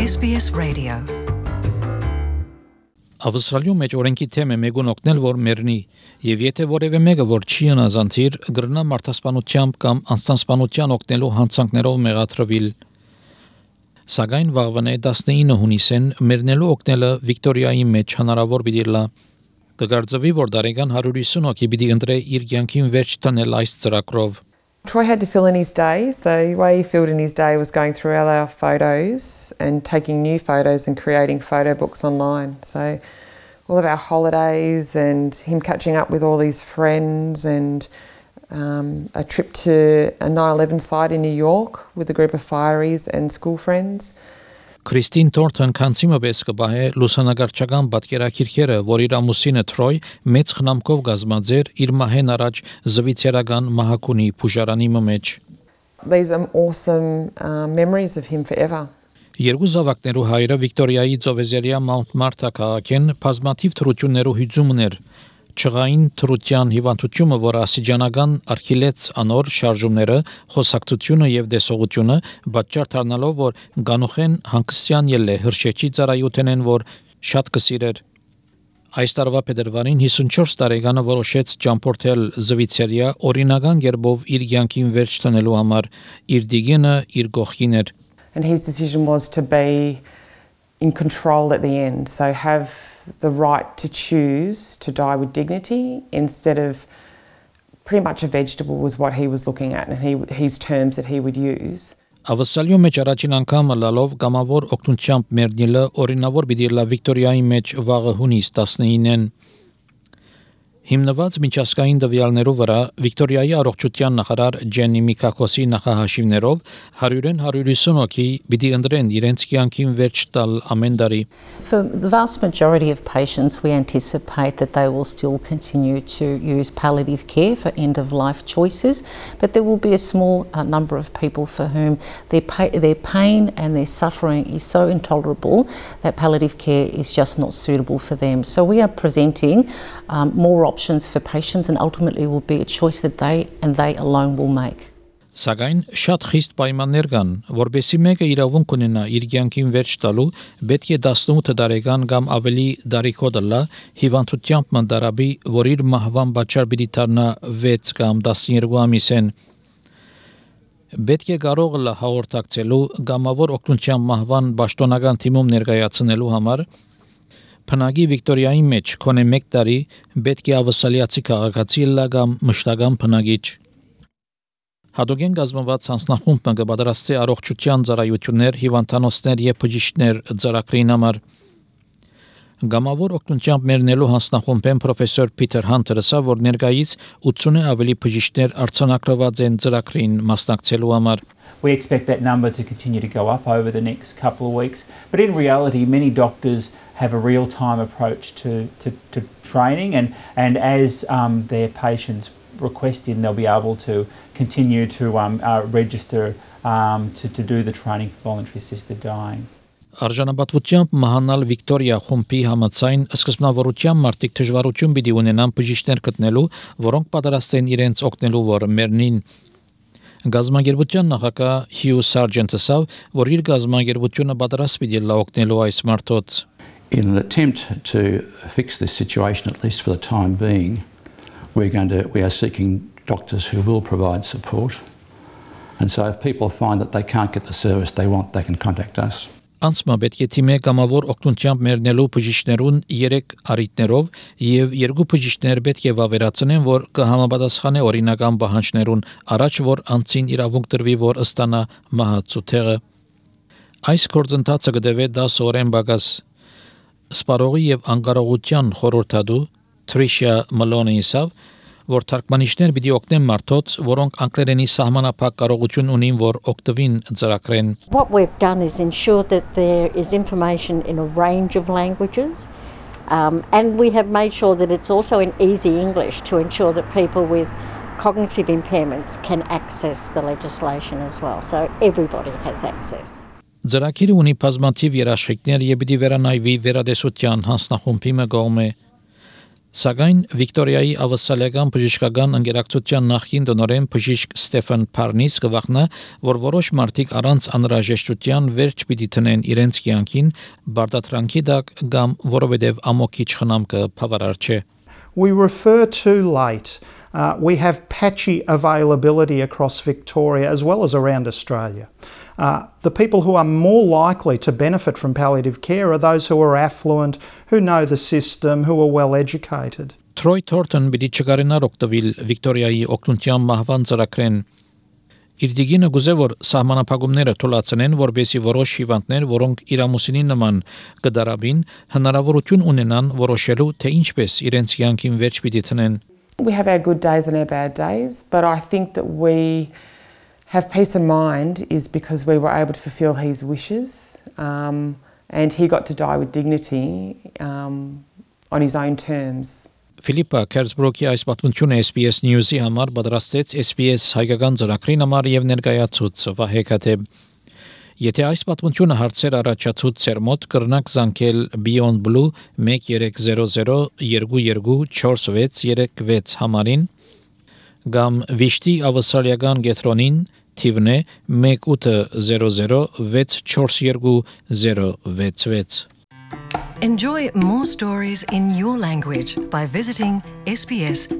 SBS Radio. Ավստրալիում մեջ օրենքի թեմ է մեկուն օգնել որ մեռնի եւ եթե որևէ մեկը որ չի անազանցիր գրնա մարդասպանությամբ կամ անձնասպանության օգնելու հանցանքներով մեղադրվել սակայն վաղվան 19 հունիսին մեռնելու օգնելը Վիկտորիայի մեջ հնարավոր բիդիլա կգարձվի որ դարեգան 150 հոգի պիտի ընտրե իր կյանքին վերջ տանել այս ծրագրով Troy had to fill in his day, so the way he filled in his day was going through all our photos and taking new photos and creating photo books online. So all of our holidays and him catching up with all his friends and a trip to a 9/11 site in New York with a group of fireys and school friends. Քրիստին Թորթոն քանցիմը պես կբահե լուսանգարչական պատկերակիրքերը, որ իր ամուսինը Թրոյ մեծ խնամքով գազմաձեր իր մահեն առաջ զվիցերական մահակունի փուժարանի մեջ։ These are awesome memories of him forever. Երկու զավակներու հայրը Վիկտորիայի Ծովեզերիա Մաունտ Մարտա քաղաքեն բազմաթիվ թռություններու հյուծումներ Չղային թրության հիվանդությունը, որ ասիջանական արխիլեց անոր շարժումները, խոսակցությունը եւ դեսողությունը պատճառ դառնալով, որ գանուխեն հանգստյան ելը հրշեջի ծառայութենեն, որ շատ կսիրեր։ Այս տարվա փետրվարին 54 տարեկանը որոշեց ճամփորդել Զվիցերիա օրինական ģերբով իր կյանքին վերջ տանելու համար, իր դիգենը իր գողքին էր։ And his decision was to be in control at the end, so have the right to choose to die with dignity instead of pretty much a vegetable was what he was looking at and his terms that he would use. Ավստրալիոյ մեջ առաջին անգամ լալով գամավոր օգնությամբ մերնիլը օրինավոր բիդիլա Վիկտորիայի մեջ վաղը հունիս 19-ին Հիմնված միջազգային դվյալներով վրա Վիկտորիայի առողջության նախարար Ջենի Միկակոսի նախահաշիվներով 100-ն 150 հոգի պիտի ընտրեն իրենց կյանքին վերջ տալ ամեն տարի. For the vast majority of patients, we anticipate that they will still continue to use palliative care for end-of-life choices, but there will be a small number of people for whom their pain and their suffering is so intolerable that palliative care is just not suitable for them. So we are presenting more options for patients and ultimately will be a choice that they alone will make. Սակայն շատ խիստ պայմաններ կան, որբեսի մեկը իրավունք ունենա իր կյանքին վերջ տալու, պետք է 18 տարեկան կամ ավելի դարիքոտ լա հիվանդությամբ մանդարաբի, որ իր մահվան պատճառ պիտի դառնա 6 կամ 12 ամիսեն։ Պետք է կարող լա հաղորդակցելու գամավոր օգնության մահվան պաշտոնական թիմում ներկայացնելու համար Փնագի Վիկտորիայի մեջ կոնե 1 տարի պետք է ավստրալիացի քաղաքացի լա կամ մշտական փնագիչ Հադոգեն գազմված հանձնախումբը կպատրաստի առողջության ծառայություններ, հիվանդանոցներ եւ բժիշկներ ծրագրին համար Գամավոր օգնությամբ մերնելու հանձնախումբեն պրոֆեսոր Փիթեր Հանթերը ասա, որ ներկայից 80-ը ավելի բժիշկներ արձանագրված են ծրագրին մասնակցելու համար We expect that number to continue to go up over the next couple of weeks. But in reality, many doctors have a real-time approach to training and as their patients request in, they'll be able to continue to register to do the training for voluntary assisted dying. Արժանապատվությամբ մահանալ Վիկտորիա խումբի համաձայն սկզբնավորությամբ մարդիկ դժվարություն պիտի ունենան բժիշկներ գտնելու, որոնք պատրաստ են իրենց օգնելու որ մեռնին Գազագերբության նախագահ Հյու Սարջենտը ասավ, որ իր գազագերբությունը պատրաստ պիտի լա օգնելու այս մարդոց In an attempt to fix this situation, at least for the time being, we are seeking doctors who will provide support. And so if people find that they can't get the service they want, they can contact us. Անցմա պետք է թիմե կամավոր օգնությամբ մերնելու բժիշկներուն 3 առիթներով եւ 2 բժիշկներ պետք է վավերացնեն, որ կհամապատասխանե օրինական պահանջներուն, առաջ որ անցին իրավունք տրվի, որ ստանա մահացու թեղը։ Այս գործընթացը կդեվե 10 օրեն բագաս Սպարողի եւ անկարողության խորհրդադու Թրիշա Մալոնի ասավ, որ թարգմանիչներ պիտի օգնեն մարդոց, որոնք անգլերենի սահմանափակ կարողություն ունին, որ օգտվին ծրագրեն։ What we've done is ensure that there is information in a range of languages and we have made sure that it's also in easy English to ensure that people with cognitive impairments can access the legislation as well. So everybody has access. Ծրագիրը ունի բազմաթիվ երաշխիքներ եւ պիտի վերանայվի վերադեսության հանձնախումբի մգոմե Սակայն Վիկտորիայի ավասալական բժշկական ընկերակցության նախկին տնօրեն բժիշկ Ստեֆան Փարնիս կվախնա, որ որոշ մարդիկ առանց անհրաժեշտության վերջ պիտի տնեն իրենց կյանքին բարդատրանքի տակ կամ որովհետև ամոքիչ խնամքը բավարար չէ. We refer too late. We have patchy availability across Victoria as well as around Australia. The people who are more likely to benefit from palliative care are those who are affluent, who know the system, who are well educated. Troy Thornton բիդի չկարենար օգտվել Վիկտորիայի օգնության մահվան ծրագրեն. Իր դիգինը գուզե որ սահմանափակումները թույլատնեն, որբեսի որոշ հիվանդներ, որոնք իրամուսինի նման կդարաբին, հնարավորություն ունենան որոշելու, թե ինչպես իրենց կյանքին վերջ պիտի տնեն. We have our good days and our bad days, but I think that we have peace of mind is because we were able to fulfil his wishes, and he got to die with dignity on his own terms. Ֆիլիպա Քերսբրոկի այս պատմությունը SBS News-ի համար պատրաստեց SBS հայկական ծրագրին համար եւ ներկայացուց Վահե Քաթեբ. Եթե այս պատմությունը հարցեր առաջացուց ծեր մոտ կրնակ զանգել Beyond Blue 1300 224636 համարին կամ Վիշտի ավասալական գետրոնին թիվն է 1800 642 Enjoy more stories in your language by visiting sbs.com.au.